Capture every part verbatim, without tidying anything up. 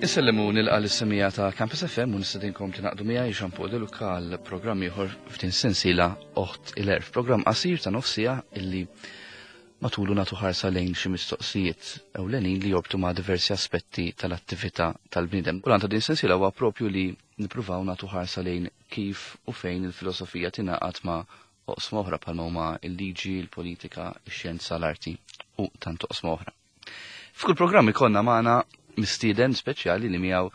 Insellem u nilqa' lis-semmiegħa ta' Campus F M u nistedinkom tingħaqdu miegħi, Jean Paul De Luca, għal programm ieħor f'din sensiela Oħt il-Għerf, programm qasir ta' nofs siegħa illi matulu nagħtu ħarsa lejn xi mistoqsijiet ewlenin li jorbtu ma' diversi aspetti tal-attività tal-bniedem. U l-għan ta' din sensiela huwa propju li nippruvaw nagħtu ħarsa lejn kif u fejn il-filosofija tingħaqad ma' oqsma oħra bħalma huma il-liġi, il-politika, ix-xjenza, l-arti u tant oqsma oħra. F'kull programm ikollna magħna mistieden speċjali li miegħu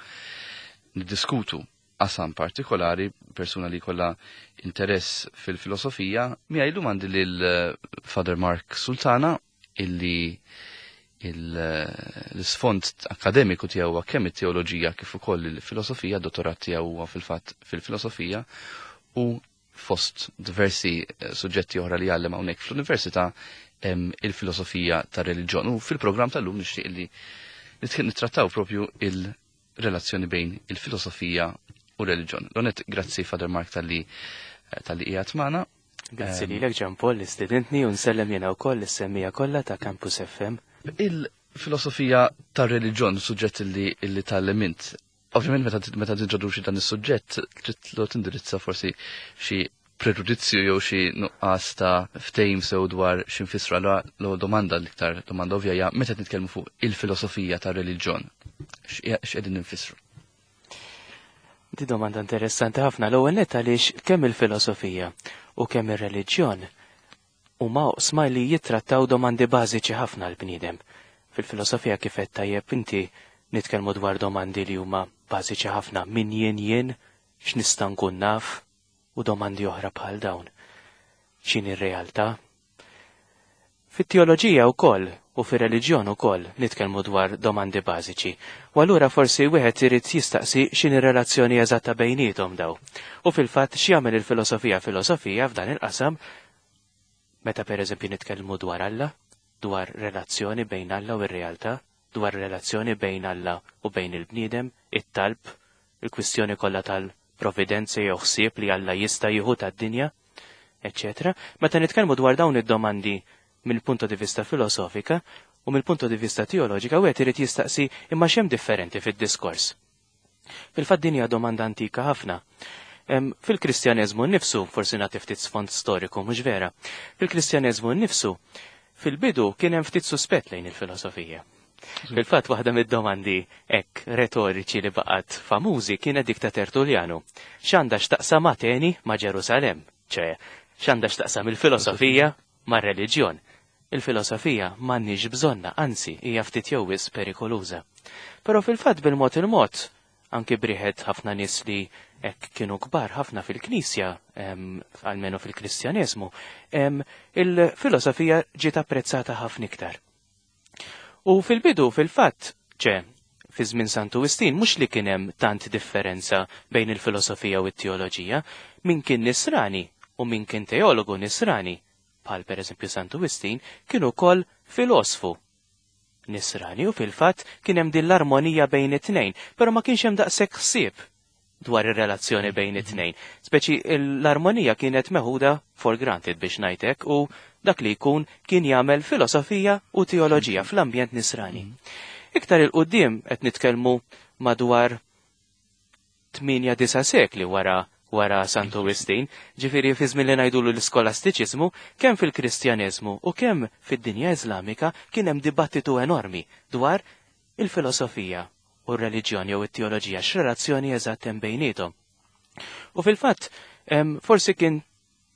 niddiskutu qasam partikolari, persuna li kollha interess fil-filosofija. Miegħi llum għandi lil eh, Father Mark Sultana, illi l-isfond akademiku tiegħu huwa kemm it-teoloġija kif ukoll il-filosofija, dottorat tiegħu huwa fil-fatt fil-filosofija u fost diversi eh, suġġetti oħra li jgħallem hawnhekk fl-università il-filosofija tar-reliġjon. U fil-programm tal-lum nixtieq li nittrattaw propju il-relazzjoni bejn il-filosofija u reliġjon. L-ewwel nett, grazzi, Father Mark, talli talli qiegħed magħna. Grazzi lilek, Jean Paul, li stedintni, u nsellem jiena wkoll is-semmiegħa kollha ta' Campus F M. Il-filosofija tar-reliġjon, suġġett li illi tgħallem int. Ovvjament meta meta tintroduċi dan is-suġġett trid tindirizza forsi xi preġudizzju jew xi nuqqas ta' ftehim sew dwar x'infissru. Allura l domanda, l-iktar domanda ovvja, hija: meta nitkellmu fuq il-filosofija tar-reliġjon, x'qegħdin nfissru? Di domanda interessanti ħafna, l-ewwel nett għaliex kemm il-filosofija u kemm ir-reliġjon huma oqsma li jittrattaw domandi bażiċi ħafna l-bniedem. Fil-filosofija, kif qed tajjeb inti, nitkellmu dwar domandi li huma bażiċi ħafna: min jien jien, x'nista' nkun naf, u domandi oħra bħal dawn. X'inhi r-realtà? Fit-teoloġija wkoll u fir-reliġjon ukoll nitkellmu dwar domandi bażiċi. U allura forsi wieħed irid jistaqsi x'inhi relazzjoni eżatta bejniethom daw. U fil-fatt x'jagħmel il-filosofija filosofija f'dan il-qasam, meta pereżempju nitkellmu dwar Alla, dwar relazzjoni bejn Alla u r-realtà, dwar relazzjoni bejn Alla u bejn il-bniedem, it-talb, il-kwistjoni kollha tal-providenza jew ħsieb li Alla jista' jieħu tad-dinja, eċċetera. Meta nitkellmu dwar dawn id-domandi mill-punto di vista filosofika u mill-punto di vista teoloġika, wieħed irid jistaqsi imma x'hemm differenti fid-diskors. Fil-fatt din hija domanda antika ħafna. Fil-Kristjaneżmu nnifsu, forsi nagħti ftit sfond storiku, mhux vera. Fil-Kristjaneżmu nnifsu, fil-bidu kien hemm ftit suspett lejn il-filosofija. Fil-fatt waħda mid-domandi hekk retoriċi li baqgħet famużi kienet dik ta' Tertullianu: X'għandha x'taqsam Ateni ma' Ġerusalem? ċe, x'għandha x'taqsam il-filosofija mar-reliġjon? Il-filosofija m'għandniex bżonna, anzi hija ftit jew wisq perikoluża. Però fil-fatt bil-mod il-mod, anki b'riħet ħafna nies li hekk kienu kbar ħafna fil-Knisja, almenu fil-Kristjaneżmu, il-filosofija ġiet apprezzata ħafna iktar. U fil-bidu, fil-fatt, ċe, fi żmien Santu Wistin, mhux li kien hemm tant differenza bejn il-filosofija u t-teoloġija, min kien nisrani u min kien teologu nisrani, bħal per eżempju Santu Wistin, kienu ukoll filosfu nisrani u fil-fatt kien hemm din l-armonija bejn it-tnejn, però ma kienx hemm daqshekk ħsieb dwar ir-relazzjoni bejn it-tnejn. Speċi l-armonija kienet meħuda for granted, biex ngħidlek, u dak li jkun kien jagħmel filosofija u teoloġija fl-ambjent nisrani. Iktar 'il quddiem, qed nitkellmu madwar tmienja disa' sekli wara wara Santu Wistin, ġifieri fi żmien li ngħidulu l-iskolastiċiżmu, kemm fil-Kristjaneżmu u kemm fid-dinja Iżlamika kien hemm dibattitu enormi dwar il-filosofija u r-reliġjoni jew it-teoloġija, x'relazzjoni eżatt hemm bejniethom. U fil-fatt, forsi kien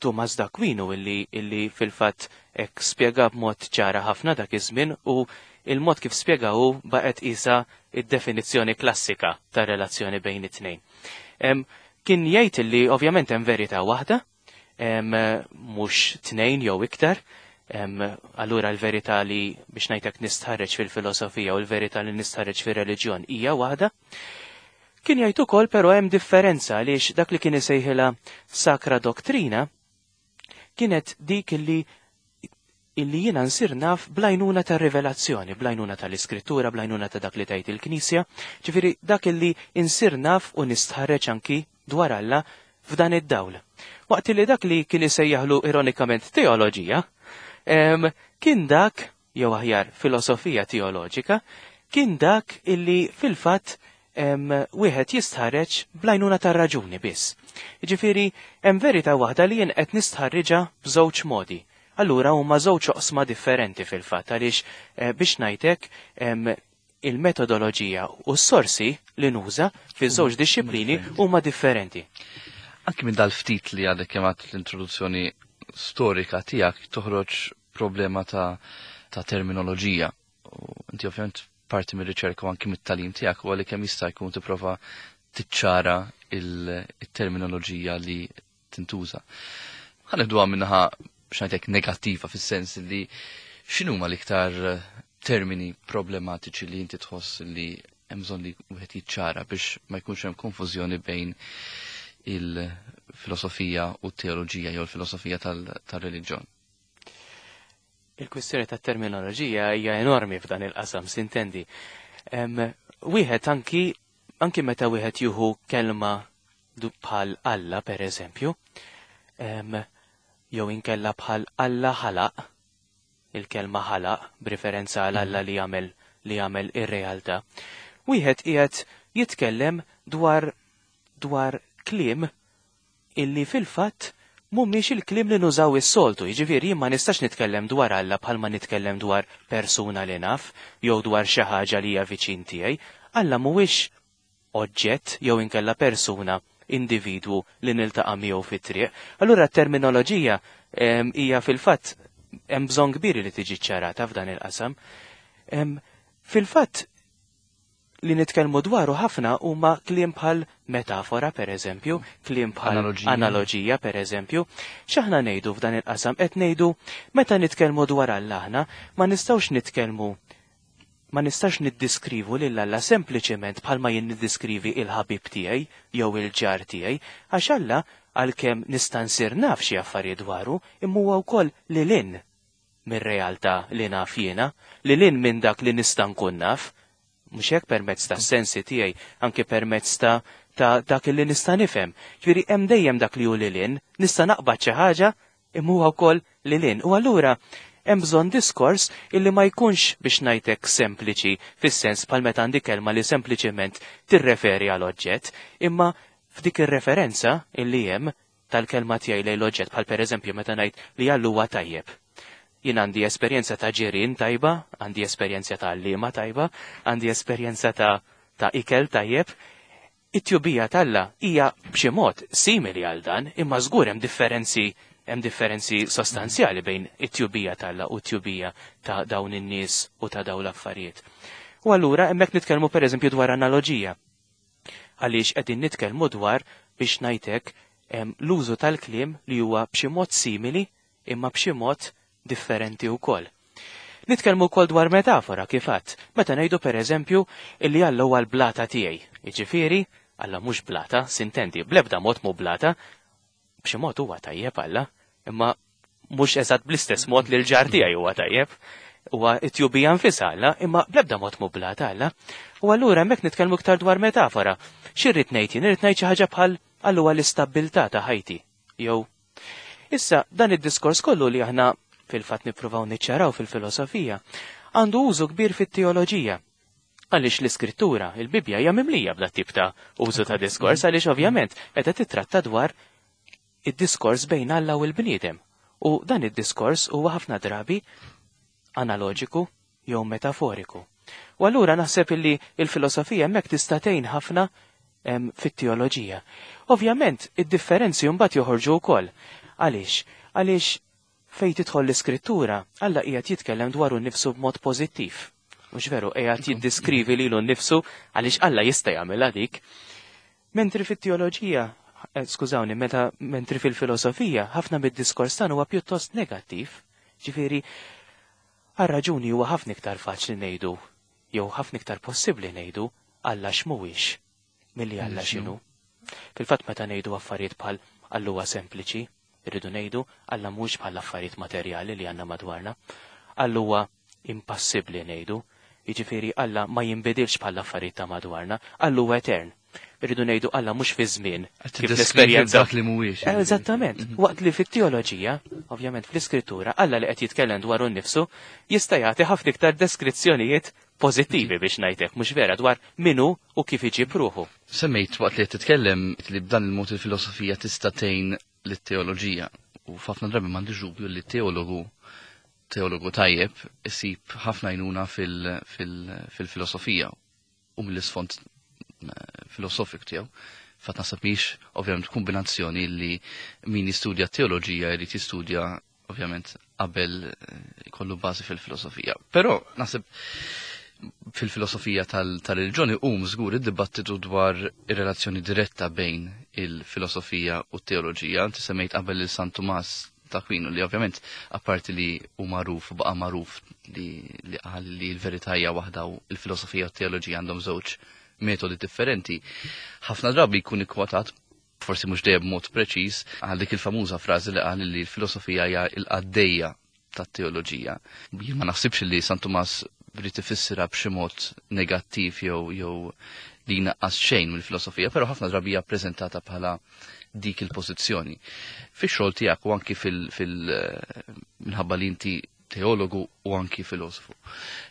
Tumas d'Aquino illi, illi fil-fatt hekk spjega b'mod ċara ħafna dak iż-żmien, u il-mod kif spjega hu baqgħet isa id-definizzjoni klassika ta' relazzjoni bejn it-tnejn. Kien jgħid li ovvjament hemm verità waħda, mhux tnejn jew iktar, allura l-verità li, biex ngħidlek, nistħarreġ fil-filosofija u l-verità li nistħarreġ fir-reliġjon hija waħda. Kien jgħid ukoll però hemm differenza, għaliex dak li kien isejħilha sakra doktrina kienet dik li illi jiena nsir naf bl-għajnuna ta' rivelazzjoni, bl-għajnuna tal-iskrittura, bl-għajnuna ta' dak li tgħid il-Knisja, ġifieri dak illi insir naf u nistħarreġ anki dwar Alla f'dan id-dawl. Waqt li dak li kien isejjaħlu ironikament teoloġija, kien dak, jew aħjar filosofija teoloġika, kien dak illi fil-fatt wieħed jistħarreġ bl-għajnuna tar-raġuni biss. Jiġifieri hemm verità waħda li jien qed nistħarriġha b'żewġ modi. Allura huma żewġ oqsma differenti fil-fatt għaliex biex ngħidlek il-metodoloġija u s-sorsi li nuża fi żewġ dixxiplini huma differenti. Anki minn dal-ftit li għadek kemm l-introduzzjoni storika tiegħek toħroġ problema ta', ta terminoloġija. U inti ovvjament parti mir-riċerka u anki mit-tagħlim tiegħek u għalli kemm jista' jkun tipprova tiċċara il-terminoloġija li tintuża. Ħa nibduha min-naħa biex ngħidlek negattiva fis-sens li x'inhuma l-iktar termini problematiċi li inti tħoss li hemm bżonn li wieħed jiċċara biex ma jkunx hemm konfużjoni bejn il-filosofija u t-teoloġija jew il-filosofija tal-reliġjon. Il-kwistjoni tat terminoloġija hija enormi f'dan il-qasam, sintendi. Wieħed anki anki meta wieħed juhu kelma bħal Alla per eżempju, jew inkella bħal Alla ħalaq, il-kelma ħalaq b'riferenza għal Alla li jagħmel li jagħmel ir-realtà. Wieħed qiegħed jitkellem dwar dwar kliem illi fil-fatt mhumiex il-kliem li nużaw is-soltu, jiġifieri jien ma nistax nitkellem dwar Alla bħalma nitkellem dwar persuna li naf jew dwar xi ħaġa li hija viċin tiegħi. Alla mhuwiex oġġett jew inkella persuna, individwu li niltaqa' miegħu fit-triq. Allura t-terminoloġija hija fil-fatt hemm bżonn kbir li tiġi ċarata f'dan il-qasam. Fil-fatt li nitkellmu dwaru ħafna huma kliem bħal metafora per eżempju, kliem bħal analoġija per eżempju. X'aħna ngħidu f'dan il-qasam? Qed ngħidu meta nitkellmu dwar Alla aħna ma nistgħux nitkellmu ma nistax niddiskrivu lil Alla sempliċement bħalma jien niddiskrivi il-ħabib tiegħi jew il-ġar tiegħi, għax Alla għalkemm nista' nsir naf xi affarijiet dwaru, imma huwa wkoll lil hinn mir-realtà li naf jiena, lil hinn minn dak li nista' nkun naf, mhux hekk permezz ta' sensi tiegħi, anke permezz ta' ta' dak li nista' nifhem. Ġifieri hemm dejjem dak li hu lil hinn, nista' naqbad xi ħaġa imma huwa wkoll lil hinn. U allura hemm bżonn diskors illi ma jkunx biex ngħidlek sempliċi fis-sens bħal meta għandi kelma li sempliċement tirreferi għal oġġett, imma f'dik ir-referenza illi hemm tal-kelma tiegħi lejn l-oġġett bħal pereżempju meta ngħid li Alla huwa tajjeb. Jien għandi esperjenza ta' ġirien tajba, għandi esperjenza ta' għalliema tajba, għandi esperjenza ta' ta' ikel tajjeb. It-tjubija t'Alla hija b'xi mod simili għal dan, imma żgur hemm differenzi hemm differenzi sostanzjali bejn it-tjubija t'Alla u t-tjubija ta' dawn in-nies u ta' dawn l-affarijiet. U allura hemmhekk nitkellmu pereżempju dwar analoġija. Għaliex qegħdin nitkellmu dwar biex ngħidlek l-użu tal-kliem li huwa b'xi mod simili imma b'xi mod differenti wkoll. Nitkellmu wkoll dwar metafora kif għadt, meta ngħidu pereżempju illi Alla huwa l-blata tiegħi. Jiġifieri Alla mhux blata, sintendi, bl-ebda mod mhu blata, b'xi mod huwa tajjeb Alla, imma mhux eżatt bl-istess mod li l-ġar tiegħi huwa tajjeb. Huwa t-tjubija nfisha Alla, imma bl-ebda mod mhu blata Alla. U allura hemmhekk nitkellmu iktar dwar metafora. X'irrid ngħid jien? Irrid ngħid xi ħaġa bħal Alla huwa l-istabbiltà ta' ħajti. Jew issa dan id-diskors kollu li aħna fil-fatt nippruvaw niċċaraw fil-filosofija għandu użu kbir fit-teoloġija. Għaliex l-iskrittura, il-Bibbja hija mimlija b'dat tip ta' użu ta' diskors, għaliex ovvjament qed titratta dwar id-diskors bejn Alla u l-bniedem. U dan id-diskors huwa ħafna drabi analoġiku jew metaforiku. U allura naħseb illi il-filosofija hemmhekk tista' tgħin ħafna fit-teoloġija. Ovvjament, id-differenzi mbagħad joħorġu wkoll. Għaliex? Għaliex fejn tidħol l-iskrittura, Alla qiegħed jitkellem dwaru nnifsu b'mod pożittiv. Mhux veru, qiegħed jiddiskrivi lilu nnifsu għaliex Alla jista' jagħmilha dik. Mentri fit-teoloġija, skużawni, meta mentri fil-filosofija, ħafna mid-diskors tagħna huwa pjuttost negattiv. Ġifieri, għal raġuni huwa ħafna iktar faċli ngħidu, jew ħafna iktar possibbli ngħidu Alla x'mhuwiex milli Alla x'inhu. Fil-fatt meta ngħidu affarijiet bħal Alla huwa sempliċi, irridu ngħidu Alla mhux bħal affarijiet materjali li għandna madwarna. Alla huwa impassibbli ngħidu, jiġifieri Alla ma jinbidilx bħal affarijiet ta' madwarna, Alla huwa etern. Irridu ngħidu Alla mhux fi żmien kif l-esperjenza dak li mhuwiex. Eżattament. Waqt li fit-teoloġija, ovvjament fl-iskrittura, Alla li qed jitkellem dwaru nnifsu jista' jagħti ħafna iktar deskrizzjonijiet pożittivi biex ngħidlek, mhux vera, dwar minu u kif iġib ruħu. Semmejt waqt li qed titkellem li b'dan il-mod il-filosofija tista' tgħin lit-teoloġija u f'ħafna drabi m'għandix dubju li teologu teologu tajjeb isib ħafna għajnuna fil-filosofija u mill-isfond eh, filosofik tiegħu. Fatt naħseb mhix ovvjament kombinazzjoni li min jistudja teoloġija jrid jistudja ovvjament qabel eh, ikollu bażi fil-filosofija. Però naħseb fil-filosofija tal-reliġjoni hum żgur id-dibattitu dwar ir-relazzjoni diretta bejn il-filosofija u t-teoloġija. Inti semmejt qabel il San Tumas ta' Aquino li ovvjament apparti li hu magħruf u baqa' magħruf li li qal li l-verità hija waħda u l-filosofija u t-teoloġija għandhom żewġ metodi differenti. Ħafna drabi jkun ikkwotat, forsi mhux dejjem b'mod preċiż, għal dik il-famuża frażi li qal li l-filosofija hija l-qaddejja tat-teoloġija. Jien ma naħsibx li San Tumas brid ifissirha b'xi mod negattiv jew jew li jnaqqas xejn mill-filosofija, però ħafna drabi hija ppreżentata bħala dik il-pożizzjoni. Fix-xogħol tiegħek u anki fil, fil minħabba li inti teologu u anki filosofu.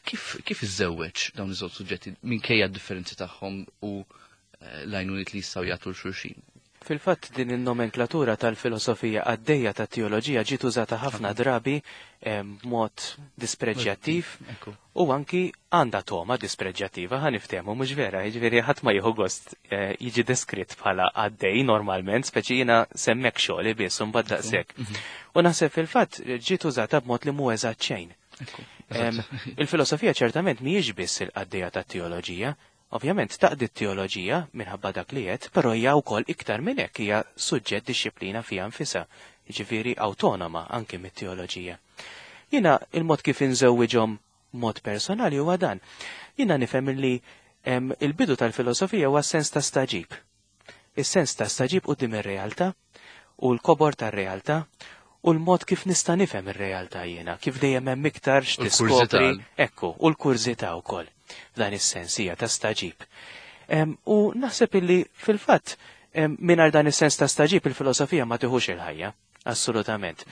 Kif kif iżżewweġ dawn iż-żewġ suġġetti minkejja d-differenzi tagħhom u eh, l-għajnuniet li jistgħu jagħtu 'l xulxin? Fil-fatt din il-nomenklatura tal-filosofija għaddejja ta' teoloġija ġiet użata ħafna drabi b'mod dispreġjattiv u anki għandha toma dispreġjattiva, ħa niftehmu, mhux vera, jiġifieri ħadd ma jieħu gost eh, jiġi deskritt bħala għaddej normalment, speċi jiena semmek xogħli biss u mbagħad daqshekk. Mhm. U naħseb fil-fatt ġiet użata b'mod li mhu eżatt xejn. Il-filosofija ċertament mhijiex biss il-qaddejja tat-teoloġija. Ovvjament taqdi t-teoloġija minħabba dak li qed, però hija wkoll iktar minn hekk, hija suġġett, dixxiplina fiha nfisha, jiġifieri awtonoma anki mit-teoloġija. Jiena il-mod kif inżewwiġhom mod personali huwa dan. Jiena nifhem li il-bidu tal-filosofija huwa sens ta' staġib. Is-sens ta' staġib quddiem ir-realtà u l-kobor tar-realtà u l-mod kif nista' nifhem ir-realtà jiena, kif dejjem hemm iktar x'tiskopri, ekku, u l-kurżità wkoll. F'dan is-sens hija ta' staġib. U naħseb illi fil-fatt mingħajr dan is-sens ta' staġib il-filosofija ma tiħux il-ħajja, assolutament.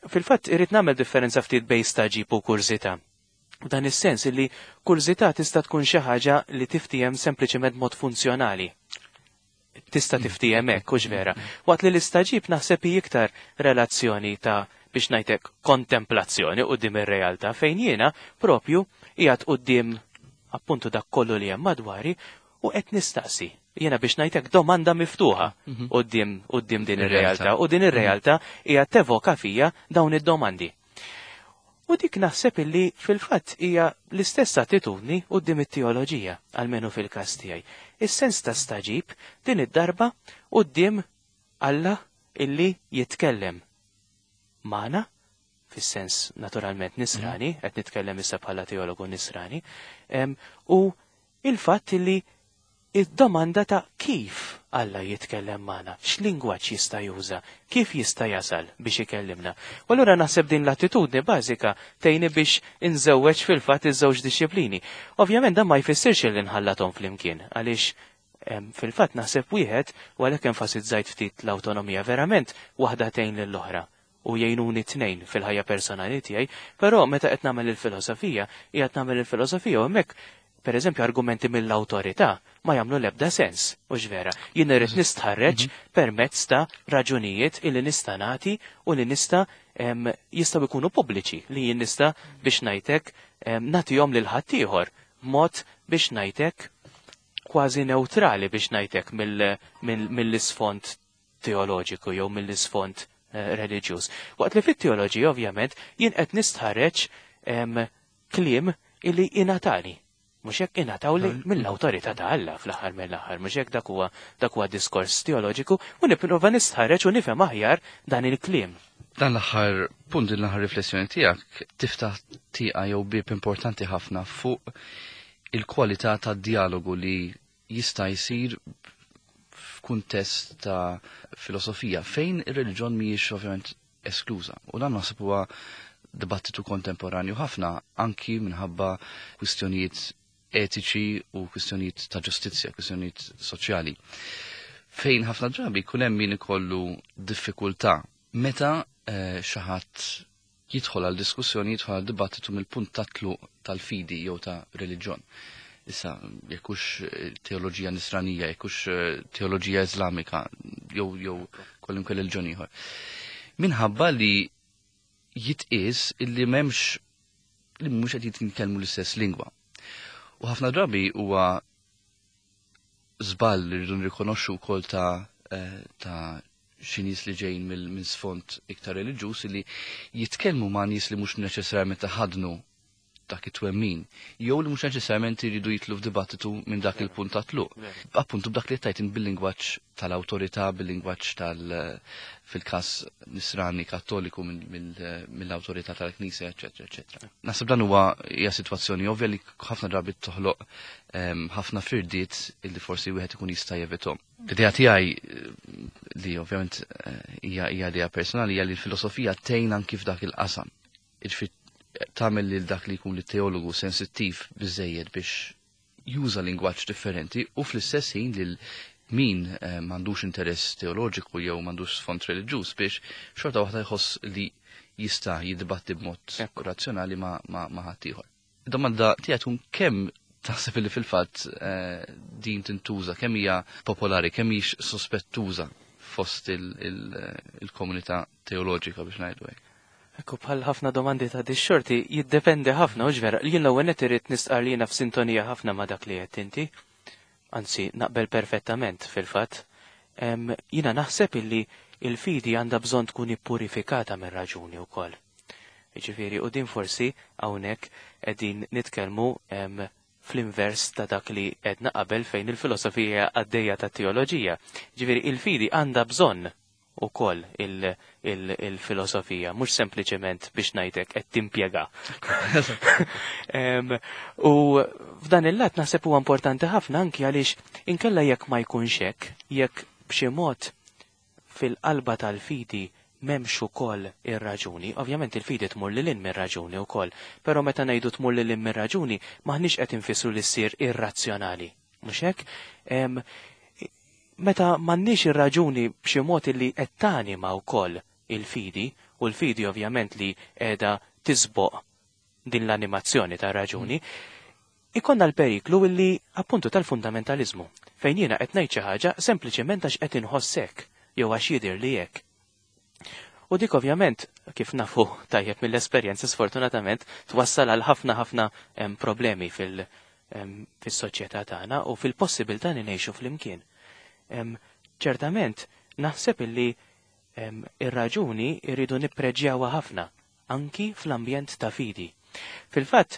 Fil-fatt irrid nagħmel differenza ftit bejn staġib u kurżità. Dan is-sens illi kurżità tista' tkun xi ħaġa li tiftijem sempliċement mod funzjonali. Tista' tiftijem hekk, hux vera. Waqt li l-istaġib naħseb hi iktar relazzjoni ta' biex ngħidlek kontemplazzjoni quddiem ir-realtà fejn jiena propju qiegħed quddiem appuntu dak kollu li hemm madwari u qed nistaqsi. Jiena biex ngħidlek domanda miftuħa mhm. quddiem quddiem din ir-realtà u din ir-realtà hija tevoka fija dawn id-domandi. U dik naħseb illi fil-fatt hija l-istess attitudni quddiem it-teoloġija, almenu fil-każ tiegħi. Is-sens ta' staġib din id-darba quddiem Alla illi jitkellem magħna, fis-sens naturalment nisrani, mhm. qed nitkellem issa bħala teologu nisrani, u il-fatt illi id-domanda ta' kif Alla jitkellem magħna, x'lingwaġġ jista' juża, kif jista' jasal biex ikellimna. U allura naħseb din l-attitudni bażika tgħinni biex inżewweġ fil-fatt iż-żewġ dixxiplini. Ovvjament dan ma jfissirx li nħallathom flimkien, għaliex fil-fatt naħseb wieħed, u għalhekk enfasizzajt ftit l-awtonomija, verament waħda tgħin lill-oħra u jgħinuni tnejn fil-ħajja personali tiegħi, però meta qed nagħmel il-filosofija, qiegħed nagħmel il-filosofija u hemmhekk per eżempju argumenti mill-awtorità ma jagħmlu l-ebda sens, u vera. Jien irrid nistħarreġ mhm. permezz ta' raġunijiet illi nista' nagħti u li nista' jistgħu jkunu pubbliċi, li jien nista' biex ngħidlek nagħtihom lil ħaddieħor mod biex ngħidlek kważi neutrali biex ngħidlek mill-isfond teoloġiku jew mill-isfond eh, reliġjuż. Waqt li fit-teoloġija ovvjament jien qed nistħarreġ kliem illi ingħatali. Mhux hekk, ingħatawli mill-awtorità ta' Alla fl-aħħar mill-aħħar, mhux hekk, dak huwa dak huwa diskors teoloġiku u nipprova nistħarreġ u nifhem aħjar dan il-kliem. Dan l-aħħar punt, din l-aħħar riflessjoni tiegħek tiftaħ tieqa jew bib importanti ħafna fuq il-kwalità tad-dialogu li jista' jsir f'kuntest ta' filosofija fejn ir-reliġjon mhijiex ovvjament eskluża. U dan naħseb huwa dibattitu kontemporanju ħafna anki minħabba kwistjonijiet etiċi u kwistjonijiet ta' ġustizzja, kwistjonijiet soċjali. Fejn ħafna drabi jkun hemm min ikollu diffikultà meta eh, xi ħadd jidħol għal diskussjoni, jidħol għal dibattitu mill-punt ta' tluq tal-fidi jew ta' reliġjon. Issa, jekk hux teoloġija nisranija, jekk hux teoloġija Iżlamika, jew jew kwalunkwe reliġjon ieħor. Minħabba li jitqies illi m'hemmx li mhux qed jitkellmu l-istess lingwa. U ħafna drabi huwa żball li rridu nirrikonoxxu wkoll ta' ta' xi nies li ġejjin minn sfond iktar reliġjuż li jitkellmu ma' nies li mhux neċessarjament ħadnu dak it-twemmin, jew li mhux neċessarjament iridu jitlu f'dibattitu minn dak il-punt ta' tluq. Appuntu b'dak li tajt bil-lingwaġġ tal-awtorità, bil-lingwaġġ tal fil-każ nisrani kattoliku mill-awtorità tal-Knisja, eċetera, eċetera. Naħseb dan huwa hija sitwazzjoni ovvja li ħafna drabi toħloq ħafna firdiet illi forsi wieħed ikun jista' jevithom. L-idea tiegħi li ovvjament hija hija idea personali hija li l-filosofija tgħin anki f'dak il-qasam. Jiġifieri tagħmel lil dak li jkun it-teologu sensittiv biżejjed biex juża lingwaġġ differenti u fl-istess ħin lil min m'għandux interess teoloġiku jew m'għandux sfond reliġjuż biex xorta waħda jħoss li jista' jiddibatti b'mod razzjonali ma' ma' ħaddieħor. Id-domanda tiegħi tkun kemm taħseb li fil-fatt din tintuża, kemm hija popolari, kemm hix sospettuża fost il-komunità teoloġika biex ngħidu hekk. Ekku, bħal ħafna domandi ta' dix-xorti jiddependi ħafna, u vera, jien l-ewwel nett irrid nistqar li jiena f'sintonija ħafna ma' dak li qed inti. Anzi, naqbel perfettament fil-fatt. Jiena naħseb illi il-fidi għandha bżonn tkun ippurifikata mir-raġuni wkoll. Jiġifieri, u din forsi hawnhekk qegħdin nitkellmu fl-invers ta' dak li għedna qabel fejn il-filosofija għaddejja ta' teoloġija. Ġifieri, il-fidi għandha bżonn ukoll il-filosofija, mhux sempliċement biex ngħidlek qed timpjega. U f'dan il-lat naħseb huwa importanti ħafna anki għaliex inkella jekk ma jkunx hekk, jekk b'xi mod fil-qalba tal-fidi m'hemmx ukoll ir-raġuni, ovvjament il-fidi tmur lil hinn mir-raġuni wkoll, però meta ngħidu tmur lil hinn mir-raġuni maħniex qed infissru li ssir irrazzjonali. Mhux hekk? Meta m'għandniex ir-raġuni b'xi mod li qed tanima wkoll il-fidi, u l-fidi ovvjament li qiegħda tisboq din l-animazzjoni ta' raġuni, ikonna l-periklu illi appuntu tal-fundamentalizmu, fejn jiena qed ngħid xi ħaġa sempliċement għax qed inħossek jew għax jidher li hekk. U dik ovvjament, kif nafu tajjeb mill-esperjenza sfortunatament, twassal għal ħafna ħafna problemi fil- fis-soċjetà tagħna u fil-possibilità li ngħixu flimkien. Ċertament, naħseb illi ir-raġuni irridu nippreġjawha ħafna, anki fl-ambjent ta' fidi. Fil-fatt,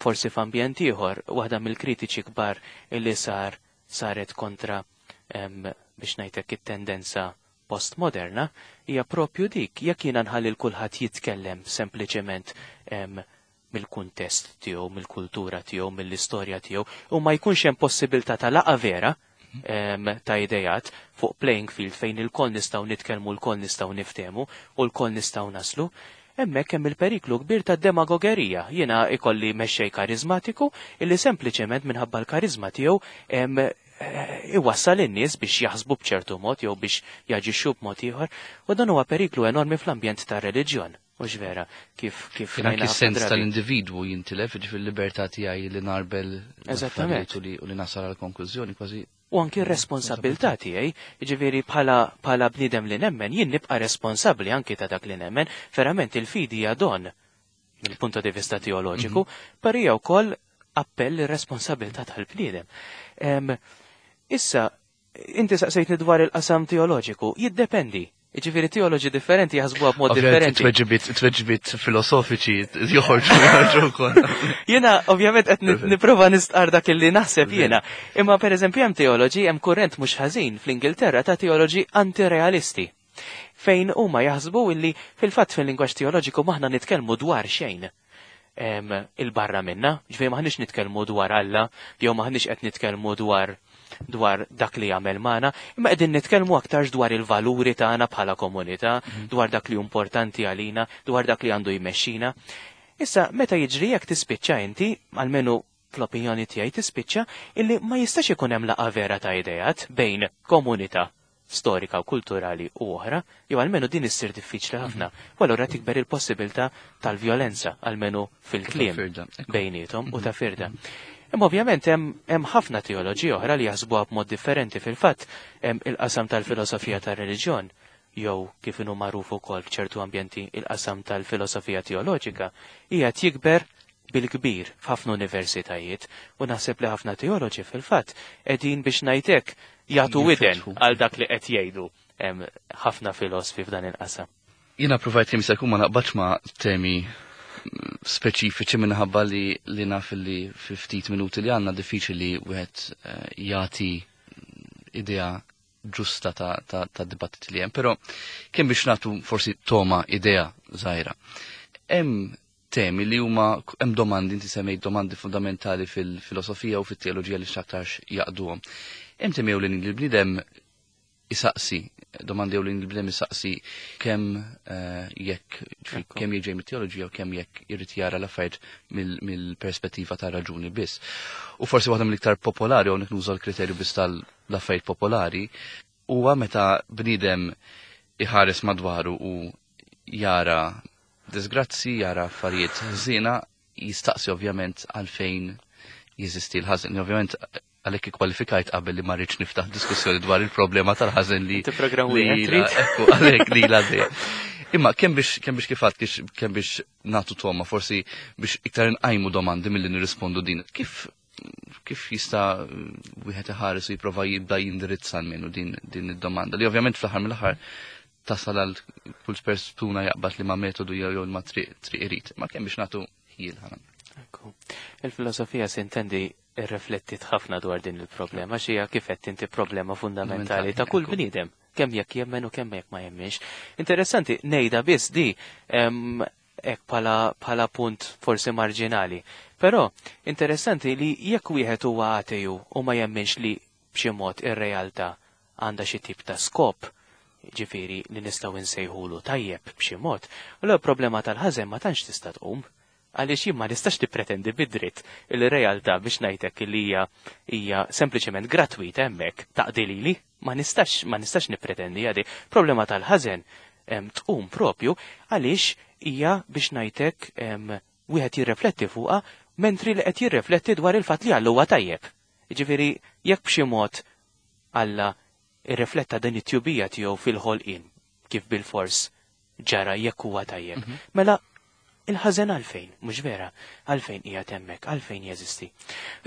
forsi f'ambjent ieħor, waħda mill-kritiċi kbar illi sar saret kontra biex ngħidlek it-tendenza postmoderna hija propju dik, jekk jiena nħalli l kulħadd jitkellem sempliċement mill-kuntest tiegħu, mill-kultura tiegħu, mill-istorja tiegħu, u ma jkunx hemm possibilità ta' laqa vera ta' idejat fuq playing field fejn il-koll nistgħu nitkellmu, l-koll nistgħu niftehmu u l-koll nistgħu naslu, hemmhekk hemm il-periklu kbir ta' demagogerija. Jiena ikolli mexxej karizmatiku illi sempliċement minħabba l-karizma tiegħu iwassal in-nies biex jaħsbu b'ċertu mod jew biex jaġixxu b'mod ieħor, u dan huwa periklu enormi fl-ambjent tar-reliġjon. Mhux vera, kif kif anki sens tal-individwu jintilef, jiġifieri l-libertà tiegħi li narbel Eżattament. u li nasal għal konklużjoni kważi. U anki r-responsabilità tiegħi, jiġifieri bħala bħala bniedem li nemmen, jien nibqa' responsabbli anki ta' dak li nemmen, verament il-fidi hija don mill-punto di vista teoloġiku, però hija wkoll appell ir-responsabilità tal-bniedem. Issa, inti saqsejtni dwar il-qasam teoloġiku, jiddependi. Jiġifieri teoloġi differenti jaħsbuha b'mod differenti. Tweġibiet, tweġibiet filosofiċi joħorġu joħorġu wkoll. Jiena ovvjament qed nipprova nistqar dak illi naħseb jiena. Imma pereżempju hemm teoloġi, hemm kurrent mhux ħażin fl-Ingilterra ta' teoloġi antirealisti, fejn huma jaħsbu illi fil-fatt fil-lingwaġġ teoloġiku maħna nitkellmu dwar xejn il-barra minna, ġifieri maħniex nitkellmu dwar Alla, jew maħniex qed nitkellmu dwar dwar dak li jagħmel magħna, imma qegħdin nitkellmu aktarx dwar il-valuri tagħna bħala komunità, dwar dak li importanti għalina, dwar dak li għandu jmexxina. Issa, meta jiġri jekk tispiċċa inti, almenu fl-opinjoni tiegħi tispiċċa, illi ma jistax ikun hemm laqgħa vera ta' idejat bejn komunità storika u kulturali u oħra, jew almenu din issir diffiċli ħafna. U allura tikber il-possibilità tal-vjolenza, almenu fil-kliem bejniethom u ta' firda. Imma ovvjament hemm ħafna teoloġi oħra li jaħsbuha b'mod differenti. Fil-fatt hemm il-qasam tal-filosofija tar-reliġjon, jew kif inhu magħruf ukoll f'ċertu ambjenti il-qasam tal-filosofija teoloġika, hija jikber bil-kbir f'ħafna universitajiet, u naħseb li ħafna teoloġi fil-fatt qegħdin biex ngħidlek jagħtu widen għal dak li qed jgħidu ħafna filosfi f'dan il-qasam. Jiena provajt kemm jista' jkun ma naqbadx ma' temi speċifiċi minħabba li li naf li fi ftit minuti li għandna diffiċli wieħed jagħti idea ġusta ta', ta, ta' dibattiti li hemm, però kemm biex nagħtu forsi toma idea żgħira. Hemm temi li huma hemm domandi, inti semmejt domandi fundamentali fil-filosofija u fit-teoloġija li x'aktarx jaqduhom. Hemm temi ewlenin li l-bniedem isaqsi, domandi ewlenin li l-bniedem isaqsi kemm uh, jekk kemm jiġi mit-teoloġija u kemm jekk irid jara l-affarijiet mill-perspettiva ta' raġuni biss. U forsi waħda mill-iktar popolari, u nuża l-kriterju biss tal-affarijiet popolari, huwa meta bniedem iħares madwaru u jara disgrazzi, jara affarijiet ħżiena, jistaqsi ovvjament għalfejn jeżisti l-ħażin. Ovvjament għalhekk ikkwalifikajt qabel li ma rridx niftaħ diskussjoni dwar il-problema tal-ħażin li ekku għalhekk li la dejjem. Imma kemm biex kemm biex kif għedt, kemm biex nagħtu toma, forsi biex iktar nqajmu domandi milli nirrispondu din. Kif kif jista' wieħed iħares u jipprova jibda jindirizza minnu din din id-domanda li ovvjament fl-aħħar mill-aħħar tasal għal kull persuna jaqbad li ma metodu jew jew ma triq triq irid. Ma kemm biex nagħtu ħjiel ħana. Il-filosofija sintendi irreflettit ħafna dwar din il-problema, xija kif qed inti problema fundamentali ta' kull bniedem, kemm jekk jemmen u kemm jekk ma jemmenx. Interessanti, ngħidha biss di hekk bħala punt forsi marġinali. Però interessanti li jekk wieħed huwa ateju u ma jemmenx li b'xi mod ir-realtà għandha xi tip ta' skop, ġifieri li nistgħu nsejħulu tajjeb b'xi mod, u l problema tal-ħażen ma tantx tista' tqum. Għaliex jien ma nistax tippretendi bid-dritt il-realtà biex ngħidlek li hija hija sempliċement gratwita hemmhekk taqdi lili, ma nistax ma nistax nippretendi għadi. Problema tal-ħażen tqum propju għaliex hija biex ngħidlek wieħed jirrefletti fuqha mentri li qed jirrefletti dwar il-fatt li Alla huwa tajjeb. Jiġifieri jekk b'xi mod Alla irrifletta din it-tjubija tiegħu fil-ħolqien kif bil-fors ġara jekk huwa tajjeb. Mela il-ħażen għalfejn, mhux vera, għalfejn hija hemmhekk, għalfejn jeżisti.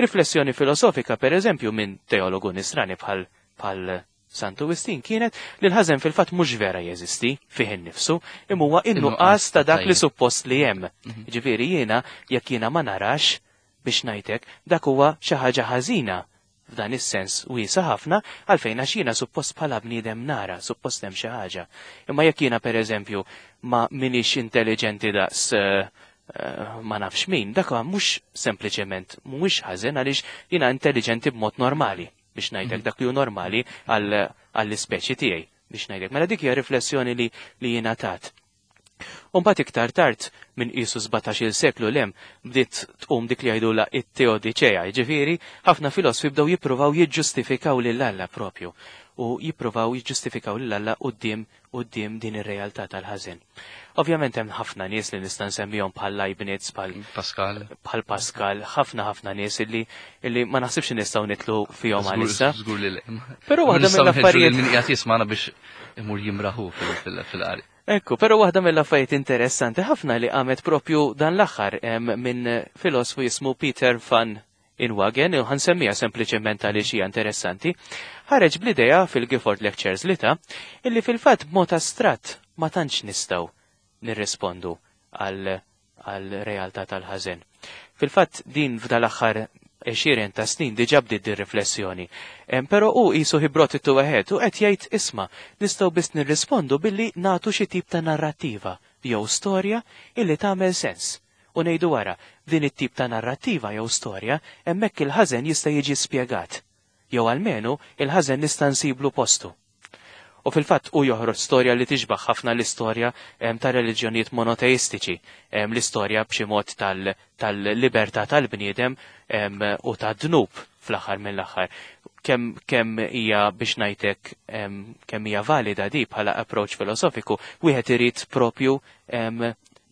Riflessjoni filosofika, per eżempju, minn teologu nisrani bħal bħal Santu Wistin kienet li l-ħażen fil-fatt mhux vera jeżisti fih innifsu, imma huwa in-nuqqas ta' dak li suppost li hemm. Ġifieri jiena jekk jiena ma narax biex ngħidlek dak huwa xi ħaġa ħażina f'dan is-sens wiesa ħafna għalfejn għax jiena suppost bħala bniedem nara, suppost hemm xi ħaġa. Imma jekk jiena pereżempju ma minix intelligenti daqs uh, uh, ma nafx min, dak mhux sempliċement mhuwiex ħażen għaliex jiena intelligenti b'mod normali biex ngħidlek dak li hu normali għall-ispeċi tiegħi biex ngħidlek. Mela dik hija riflessjoni li li jiena tat. Mbagħad iktar tard minn qisu sbatax-il seklu lem bdiet tqum dik li jgħidula it-teodiċea, jiġifieri ħafna filosfi bdew jippruvaw jiġġustifikaw lil Alla propju u jippruvaw jiġġustifikaw lil Alla quddiem quddiem din ir-realtà tal-ħażen. Ovvjament hemm ħafna nies li nista' nsemmihom bħal Leibniz, bħal Pascal, bħal Pascal, ħafna ħafna nies illi illi ma naħsibx nistgħu nitlu fihom għalissa. Żgur li le. Però waħda mill-affarijiet min qiegħed jismagħna biex imur jimraħu fil-qari. Ekku, però waħda mill-affarijiet interessanti ħafna li qamet propju dan l-aħħar minn filosfu jismu Peter van Inwagen, u ħansemmija sempliċement għaliex hija interessanti, ħareġ bl-idea fil-Gifford Lectures li ta' illi fil-fatt b'mod astratt ma tantx nistgħu nirrispondu għal realtà tal-ħażen. Fil-fatt din f'dal aħħar għexieren ta' snin diġà bdiet din riflessjoni. Però hu qisu he brought it to a head u qed jgħid isma' nistgħu biss nirrispondu billi nagħtu xi tip ta' narrattiva jew storja illi tagħmel sens. U ngħidu wara, din it-tip ta' narrattiva jew storja hemmhekk il-ħażen jista' jiġi spjegat. Jew almenu il-ħażen nista' nsiblu postu. U fil-fatt u joħroġ storja li tixbaħ ħafna l-istorja ta' reliġjonijiet monoteistiċi, l-istorja b'xi mod tal-libertà tal-bniedem u ta' dnub fl-aħħar mill-aħħar. Kemm kemm hija biex ngħidlek kemm hija valida di bħala approach filosofiku, wieħed irid propju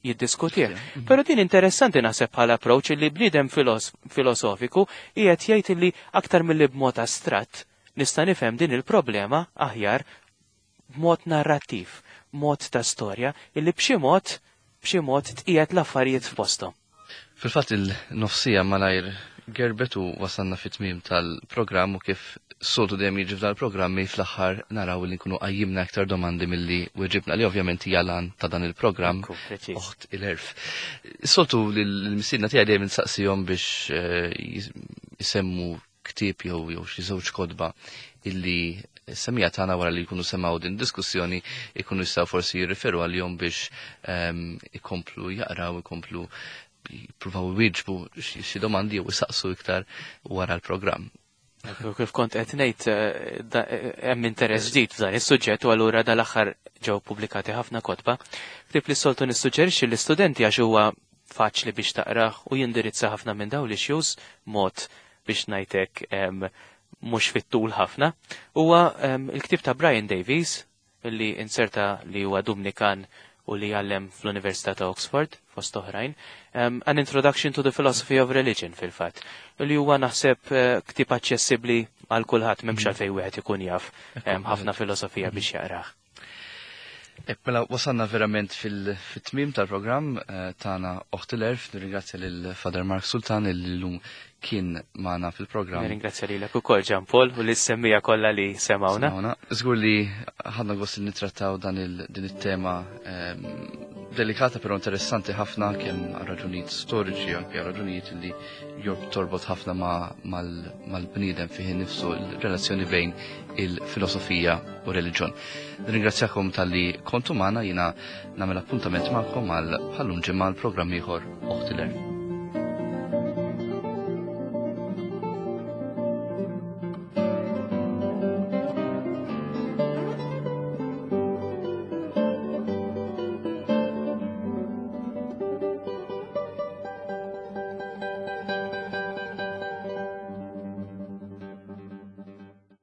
jiddiskutih. Mhm. Però din interessanti naħseb bħala approach li bniedem filosofiku qiegħed jgħid li aktar milli b'mod astratt nista' nifhem din il-problema aħjar b'mod narrattiv, mod ta' storja, illi b'xi mod b'xi mod tqiegħed l-affarijiet f'posthom. Fil-fatt il-nofsija malajr gerbet u wasalna fit-tmiem tal-programm u kif soltu dejjem jiġi f'dal-programmi fl-aħħar naraw li nkunu qajjimna aktar domandi milli weġibna li ovvjament hija l-għan ta' dan il-programm Oħt il-Għerf. Soltu l-mistiedna tiegħi dejjem insaqsihom biex eh, jisemmu ktieb jew jew xi żewġ kotba illi semmiegħa tagħna wara li jkunu semgħu din diskussjoni ikunu jistgħu forsi jirriferu għalihom biex ehm, ikomplu jaqraw, ikomplu jippruvaw iwieġbu xi domandi jew isaqsu iktar wara l-programm. Kif kont qed ngħid eh, eh, hemm interess ġdid f'dan is-suġġett u allura dal-aħħar ġew pubblikati ħafna kotba. Ktieb li soltu nissuġġerixxi l-istudenti għax huwa faċli biex taqrah u jindirizza ħafna minn dawn l-issues mod biex ngħidlek mhux fit-tul ħafna. Huwa il-ktieb ta' Brian Davies li inserta li huwa Dumnikan u li jgħallem fl-Università ta' Oxford, fost oħrajn, um, An Introduction to the Philosophy of Religion fil-fatt. Li huwa naħseb uh, ktieb aċċessibbli għal kulħadd m'hemmx mm. għalfejn wieħed ikun jaf ħafna filosofija biex jaqrah. Ek, mela wasalna verament fil-tmim tal-programm eh, tagħna Oħt il-Għerf, nirringrazzja lil Father Mark Sultan li llum kien magħna fil-programm. Nirringrazzja lilek ukoll Jean Paul u lis-semmiegħa kollha li semgħuna. Żgur li ħadna gost li nittrattaw dan din it-tema ehm, delikata però interessanti ħafna kemm għal raġunijiet storiċi anke għal raġunijiet li job torbot ħafna mal-bniedem fih nifsu l-relazzjoni bejn il-filosofija u reliġjon. Nirringrazzjakom talli kontu magħna jiena nagħmel appuntament magħkom għal bħal-lum ġimgħa l-programm ieħor Oħt il-Għerf.